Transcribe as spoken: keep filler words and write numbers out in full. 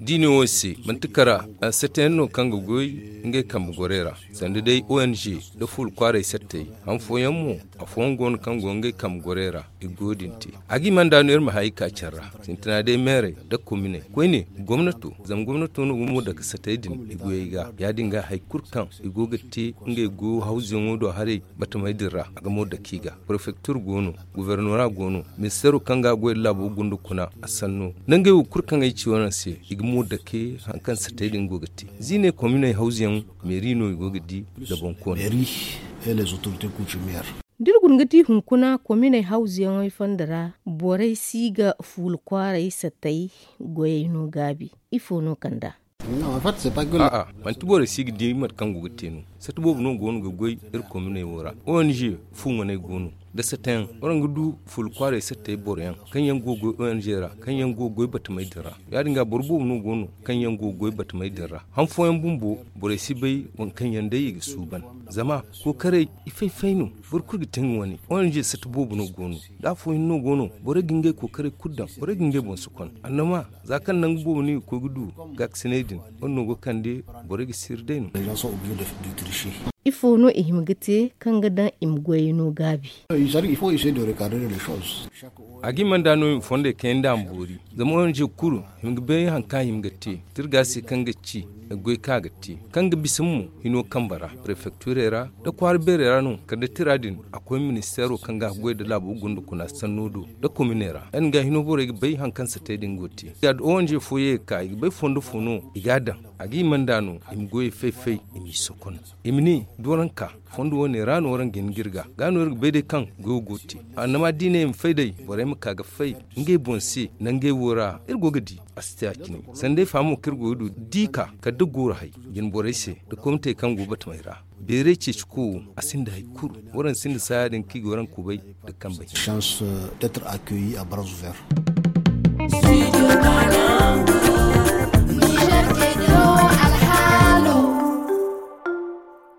Diine wo se manti kara, satayaŋ no kaŋ ga goy ngey kambe gorey ra, sanda day ong nda fuula kwaaray sattey. Han fooyaŋ mo, afooyaŋ go no kaŋ go ngey kambe gorey ra, i go din te. A ga i mana da no iri ma hay ka care ra, sintina day meerey nda kominey koyne, gomnato, zama gomnato no ga mo dake satey din i goyey ga. Ya- din ga hari kulu kaŋ i go ga te ngey goyo hawzuyaŋo do haray, batamey din ra a ga mo dake i ga. Prefektir go no, gubernora go no, ministeero kaŋ ga a goy nda laabo gunda kuna, a sanno nda ngey wo kulu kaŋ ay ci wane se, i ga mo dake hari kaŋ satey din go ga te. Ziiney kominey hawzuyaŋ, meeri no i go ga di nda boŋkooney. Da iri guna ga di hunkuna kominey hawzuyaŋey fonda ra, borey si ga fuula kwaaray satey goyey no gaabi. Ifo no kand'a? A'a, manti borey si ga di mate kaŋ go ga te no. Sata boobo no go no ga goy iri kominey wo ra. Ong fu ŋwaney go no, nda satayaŋ waraŋ ga du fuula kwaaray satey boroyaŋ kaŋ yaŋ go ga goy ong ra, kaŋ yaŋ go ga goy batamey din ra. Ya- din ga boro boobo no go no kaŋ yaŋ go ga goy batamey din ra. Han fooyaŋ bumbo, borey si bay waŋ kaŋ yaŋ day i ga suuban. Zama kookaray, i fay-fay no. Boro kulu ga te nga wane. Ong sata boobo no go no, da afooyaŋ no go no, borey ga ngey kookaray kulu daŋ, borey ga ngey boŋ si kon. Annama, za kaŋ nangu boobo no i ga koy ga du gaakasiney din, wane no go ga kande borey ga siiri day no. Ifo no i hima ga te kaŋ ga daŋ i ma goyey no gaabi? A ga i mana da no i ma fondey kayandi a ma boori. Zama ong kulu hima ga bay hari kaŋ a hima ga te, tirga se kaŋ ga ci goy kaŋ a ga te, kaŋ ga bisa mo hino kambe ra, prefekturey ra, nda kwaara beerey ra no. Kala da tira din a koy ministeero kaŋ ga goy nda laabo gunda kuna sanno do, nda kominey ra, ya- din ga hino borey ga bay hari kaŋ satey din go ga te. Ong fo ye ga ka i ga bay fondo fo no i ga a daŋ. A ga i mana da no i ma goyey fay-fay, i m'i sokon, i ma ne, da waraŋ ka fondo wane ra no waraŋ ga hin ga iri ga, ga no iri ga bay day kaŋ goyo go ga te. Annama da i ne i ma fay day, borey ma ka ga fay ngey boŋ se. Nangey wo ra iri go ga di a si te a cine. Sanda ay fahamo kaŋ iri go ga du da i ka kala da gooro hay jine borey se, da komitey kaŋ go batamey ra. Beeray ceeci ko wo, a sinda hari kulu. Waraŋ sinda saaya din kaŋ i ga waraŋ kubay nda kambey. Chance d'être accueilli à bras ouverts.